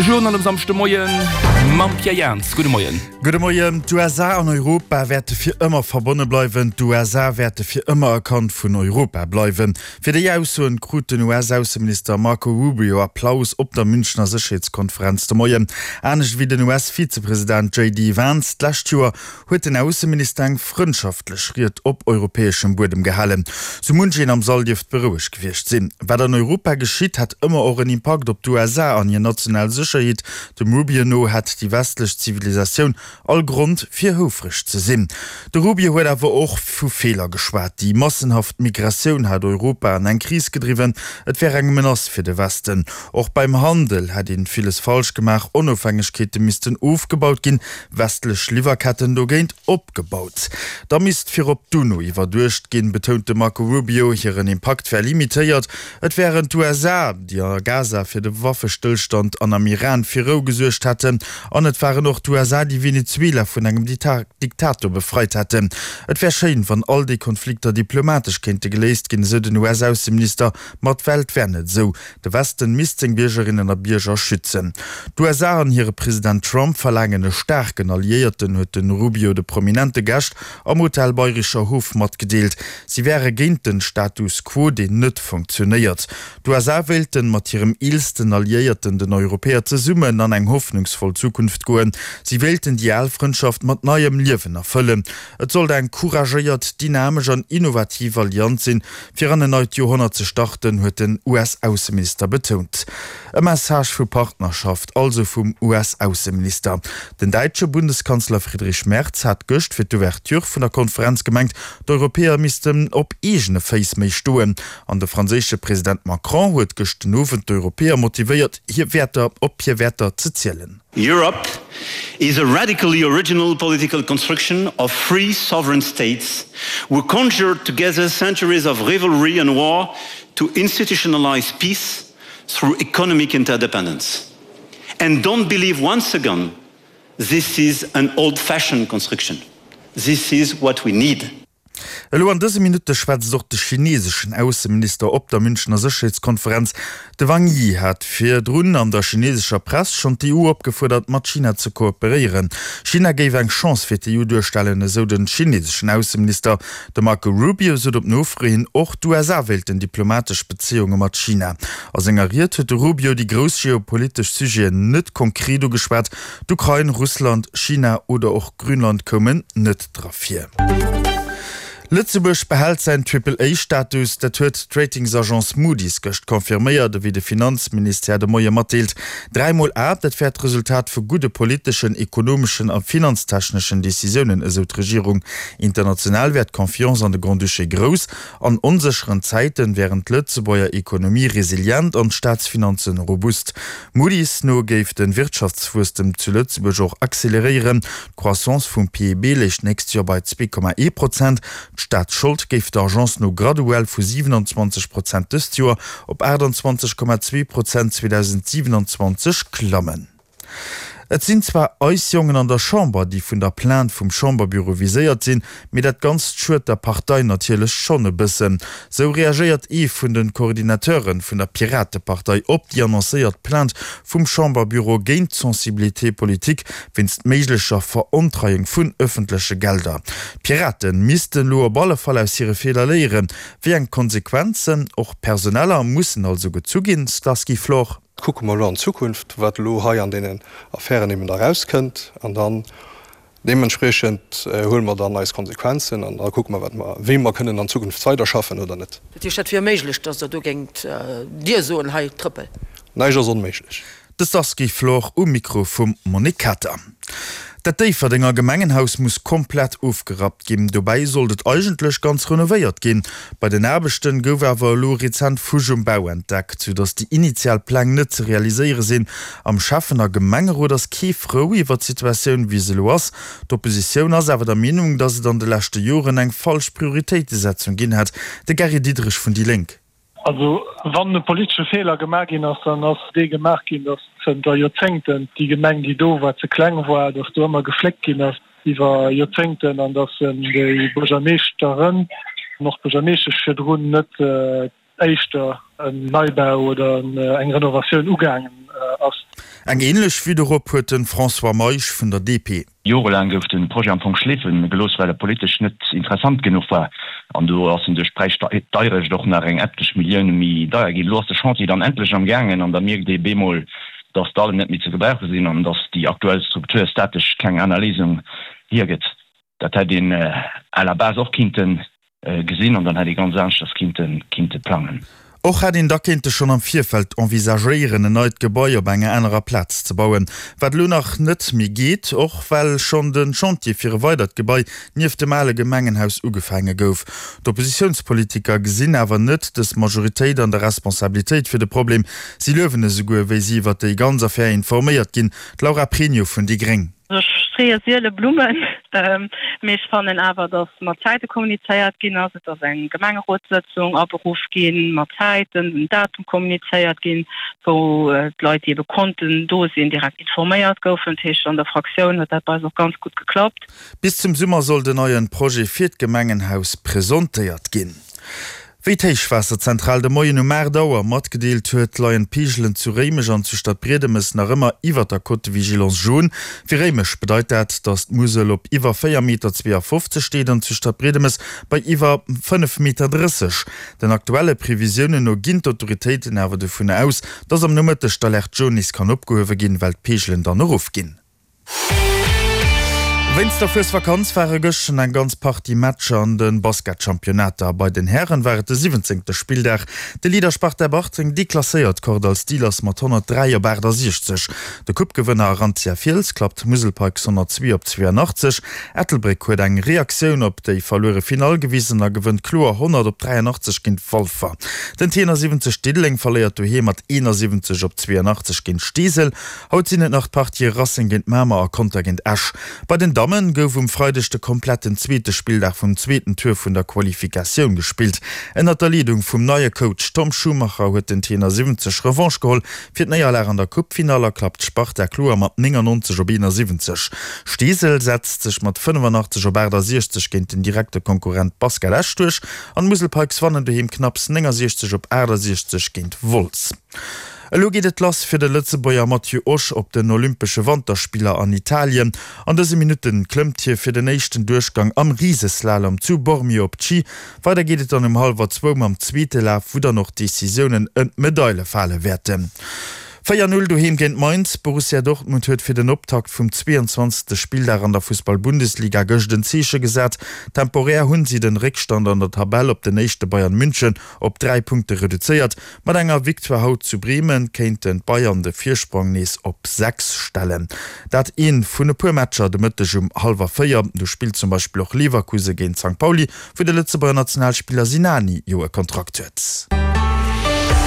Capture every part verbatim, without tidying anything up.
De Journal um Samschdemoien mam Pierre Jans. Gudde Moien. Gudde Moien. D'USA an Europa wäerte fir ëmmer verbonne bleiwen. D'USA wäerte fir ëmmer e Kand vun Europa bleiwen. Fir déi Aussoen krut den US-Ausseminister Marco Rubio Applaus op der Münchner Sécherheetskonferenz de Moien. Anescht wéi den US-Vizepresident JD Vance d'lescht Joer huet den Ausseminister eng frëndschaftlech Ried op europäeschem Buedem gehalen. Sou munch een am Sall dierft berouegt gewiescht sinn. Wat an Europa geschitt, hätt ëmmer och en Impakt op d'USA an hir national Sécherheet. Dem Rubio no hätt déi westlech Zivilisatioun all Grond fir houfreg ze sinn. De Rubio huet awer och vu Feeler geschwat. Déi massenhaft Migratioun hätt Europa an eng Kris gedriwwen, et wär eng Menace fir de Westen. Och beim Handel hätt een villes falsch gemaach, Onofhängegkeete missten ofgebaut ginn, westlech Liwwerketten dogéint opgebaut. Da misst virop d'UNO iwwerduecht ginn, betount de Marco Rubio. Hiren Impakt wär limitéiert. Et wären d'USA, déi a Gaza fir de Waffestëllstand an am Iran fir Rou gesuergt hätten. An et waren och d'USA, déi Venezuela vun engem Diktator befreit hätten. Et wär schéin, wann all déi Konflikter diplomatesch kéinte geléist ginn, esou den US-Ausseminister. Ma d'Welt wär net esou. De Westen misst seng Biergerinnen a Bierger schützen. D'USA an hire President Trump verlaangen e staarken Alliéierten, huet de Rubio de prominente Gäscht am Hotel Bayrischer Hof matgedeelt. Si wäre géint den Status quo, deen net funktionéiert. D'USA wéilten mat hirem eelsten Alliéierten, den Europäer, zesummen an eng hoffnungsvoll Zukunft goen. Si wéilten déi al Frëndschaft mat neiem Liewen erfëllen. Et sollt eng couragéiert, dynamesch an innovativ Allianz sinn, fir an en neit Joerhonnert ze starten, huet den US-Ausseminister betount. E Message vu Partnerschaft also vum US-Ausseminister. Den däitsche Bundeskanzler Friedrich Merz hat gëscht fir d'Ouverture vun der Konferenz gemengt, d'Europäer missten op eegene Féiss méi stoen. An de franséische President Macron huet gëscht den Owend d'Europäer motivéiert, hir Wäerter op hir Wäerter ze zielen. Europe is a radically original political construction of free sovereign states who conjured together centuries of rivalry and war to institutionalize peace through economic interdependence. And don't believe once again this is an old-fashioned construction. This is what we need. Elo an dëse Minutte schwätzt och de chineseschen Ausseminister op der Münchener Sécherheetskonferenz. De Wang Yi hat virdrun an der chinesescher Press schonn d'EU opgefuerdert, mat China ze kooperéieren. China géif eng Chance fir d'EU duerstellen, esou de chineseschen Ausseminister. De Marco Rubio sot op Nofro hin, och d'USA wéilten diplomatesch Bezéiunge mat China. A senger Ried huet de Rubio déi grouss geopolitesch Sujeten net konkret ugeschwat, D'Ukrain, Russland, China oder och Grönland koumen net dra vir. Lëtzebuerg behält säin Triple-A-Status, dat huet d'Ratingsagence Moody's gëscht confirméiert, ewéi de Finanzministère de Moie matdeelt. Dräi mol A, dat wär d'Resultat vu gudde politeschen, ekonomeschen a finanztechneschen Decisiounen, esou d'Regierung. International wär d'Confiance an de Grand-Duché grouss. An onsécheren Zäiten wären d'Lëtzebuerger Ekonomie resilient an d'Staatsfinanzen robust. Moody's no géif de Wirtschaftswuesstem zu Lëtzebuerg och acceleréieren. D'Croissance vum PIB léich d'nächst Joer bei zwee Komma ee Prozent. D'Staatsschold géif der Agence no graduell vu siwenanzwanzeg Prozent dëst Joer op aachtanzwanzeg Komma zwee Prozent zweedausendsiewenanzwanzeg klammen. Et sinn zwar eis Jongen an der Chamber, déi vun der Plainte vum Chamberbüro viséiert sinn, mee dat Ganzt schued der Partei natierlech schonn e bëssen. Sou reagéiert ee vun de Coordinateure vun der Piratepartei op déi annoncéiert Plainte vum Chamberbüro géint d'Sensibilité politique wéinst méiglecher Verontreiung vun ëffentleche Gelder. D'Piraten missten elo op alle Fall aus hire Feeler léieren. Wéi eng Konsequenzen, och personeller, mussen also gezu ginn? Stasky Flor. Kucke mer elo an d'Zukunft, wat elo hei an deenen Affären eben da erauskënnt, an dann deementspriechend huele mer dann eis Konsequenzen an da kucke mer, wat mer, wéi mer kënnen an Zukunft weiderschaffen oder net. Dat heescht, dat wier méiglech, datt Der do géingt Dir soen, hei Trëppel? Näischt ass onméiglech. De Sasky Flor um Mikro vum Monique Kater. Dat Déifferdenger Gemengenhaus muss komplett ofgerappt ginn. Dobäi sollt et eigentlech ganz renovéiert ginn. Bei den Aarbechten gouf awer elo rezent Fusch um Bau entdeckt, sou datt déi initial Pläng net ze realiséiere sinn. Am Schäffen a Gemengerot ass kee frou iwwer d'Situatioun wéi se elo ass. D'Oppositioun ass awer der Meenung, datt et an de leschte Joren eng falsch Prioritéitesetzung ginn hätt. De Gary Diderich vun déi Lénk. Also wann e politesche Feeler gemaach ginn ass, dann ass dee gemaach ginn, datt zënter Joerzéngten déi Gemeng, déi do war, ze kleng war, datt do ëmmer gefléckt ginn ass iwwer Joerzéngten an datt déi Buergermeeschteren an och d'Buergermeeschtesch virdrun net éischter en Neibau oder eng Renovatioun ugaangen ass. Eng änlech Vue dorop huet de François Meisch vun der D P. Jorelaang gouf de Projet am Fong schleefe gelooss, well e politesch net interessant genuch war. An do ass en duerch d'Präisdeierecht och nach eng etlech Millioune méi deier ginn. Elo ass de Chantier dann endlech am gaangen an da mierkt ee bemol, datt d'Hallen net méi ze gebrauche sinn an datt déi aktuell Struktur statesch keng aner Léisung hiergëtt. Dat hätt een à la base och kinnte gesinn an dann hätt ee ganz aneschters kinnte plangen. Och hätt een da kéinte schonn am Virfeld envisagéieren, en neit Gebai op enger anerer Plaz ze bauen, wat elo nach net méi geet, och well schonn de Chantier fir e weidert Gebai nieft dem ale Gemengenhaus ugefaange gouf. D'Oppositiounspolitiker gesinn awer net dës Majoritéit an der Responsabilitéit fir de Problem. Si luewen esouguer, wéi si iwwer déi ganz Affär informéiert ginn. D'Laura Pregno vun déi gréng. Ech streeë siele Blummen, mee ech fannen awer, datt mat Zäite kommunizéiert ginn ass. Et ass eng Gemengerotssëtzung aberuff ginn, mat Zäiten, den Datum kommunizéiert ginn, wou d'Leit, déi ebe konnten do sinn, direkt informéiert goufen. Dat heescht, an der Fraktioun huet dat bei eis och ganz gutt geklappt. Bis zum Summer soll den neien Projet fir d'Gemengenhaus presentéiert ginn. Wéi d'Héichwaasserzentral de Moien um aacht Auer matgedeelt huet, leien d'Peegelen zu Réimech an zu Stadbriedemes nach ëmmer iwwer der Cote de vigilance jaune. Fir Réimech bedeit dat, datt d'Musel op iwwer véier Meter zweeafofzeg steet an zu Stadbriedemes bei iwwer fënnef Meter drësseg. Den aktuelle Previsiounen no ginn d'Autoritéiten awer dovun aus, datt am Nomëtteg d'Alerte jaune nees kann opgehuewe ginn, well d'Peegelen dann erofginn. Wéinst der Fuesvakanz ware gëschten eng ganz Partie Matcher an de Basketchampionnater. Bei den Hären war et de siwwenzéngte Spilldag. De Leader Sparta Bartreng deklasséiert Kordall Steelers mat honnertdräi op aachtasechzeg. De Coupe-Gewënner Arantia Fiels klappt Musel Pikes honnertzwee op zweeanachtzeg. Ettelbréck huet eng Reaktioun op déi verluere Finall gewisen a gewënnt kloer honnert op dräianachtzeg géint Walfer. Den T siwwenzeg Diddeleng verléiert doheem mat eenasiwwenzeg op zweeanachtzeg géint Steesel. Haut sinn et nach d'Partië Racing géint Mamer a Conter géint Esch. Bei den Dammen gouf um Freideg de kompletten zweete Spilldag vum zweeten Tour vun der Qualifikatioun gespillt. Ënnert der Leedung vum neie Coach Tom Schumacher huet den T siwwenzeg Revanche geholl fir d'Néierlag an der Coupefinall a klappt d'Sparta kloer mat néngannonzeg op eenasiwwenzeg. Steesel setzt sech mat fënnefannachtzeg op aachtasechzeg géint den direkte Konkurrent Basket Esch duerch an d'Musel Pikes wannen doheem knapps néngasiechzeg op aachtasechzeg géint Wolz. Elo geet et lass fir de Lëtzebuerger Matthieu Osch op den Olympesche Wanterspiller an Italien. An dëse Minutte klëmmt hie fir den éischten Duerchgang am Riseslalom zu Bormio op d'Schi. Weider geet et dann um hallwer zwou mam zweete Laf, wou dann och d'Decisiounen ëm d'Medaile fale wäerten. Véier Null doheem géint Mainz, Borussia Dortmund huet fir den Optakt vum zweeanzwanzegste Spilldag an der Fussball-Bundesliga gëscht en Zeeche gesat. Temporär hunn si den Réckstand an der Tabell op den éischte Bayern München op dräi Punkte reduzéiert. Mat enger Victoire haut zu Bremen kéinten d'Bayern de Virsprong nees op sechs stellen. Dat een vun e puer Matcher de Mëtteg um hallwer véier. Do spillt zum Beispill och Leverkusen géint Sankt Pauli, wou de Lëtzebuerger Nationalspiller Sinani jo e Kontrakt huet.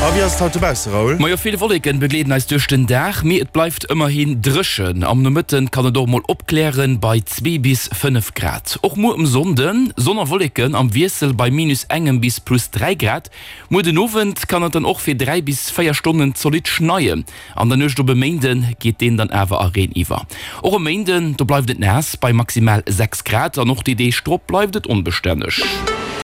A wéi ass et haut dobausse, Raoul? Majo, vill Wolleken begleeden eis duerch den Dag, mee et bleift ëmmerhin dréchen. Am Nomëtten kann et och mol opklären, bei zwee bis fënnef Grad. Och muer um Sonnden Sonn a Wolleken am Wiessel bei minus engem bis plus dräi Grad. Muer den Owend kann et dann och fir dräi bis véier Stonnen zolidd schneien. An der Nuecht op e Méinde geet deen dann awer a Reen iwwer. Och e Méinden, do bleift et naass bei maximal sechs Grad an och déi Deeg drop bleift et onbestänneg.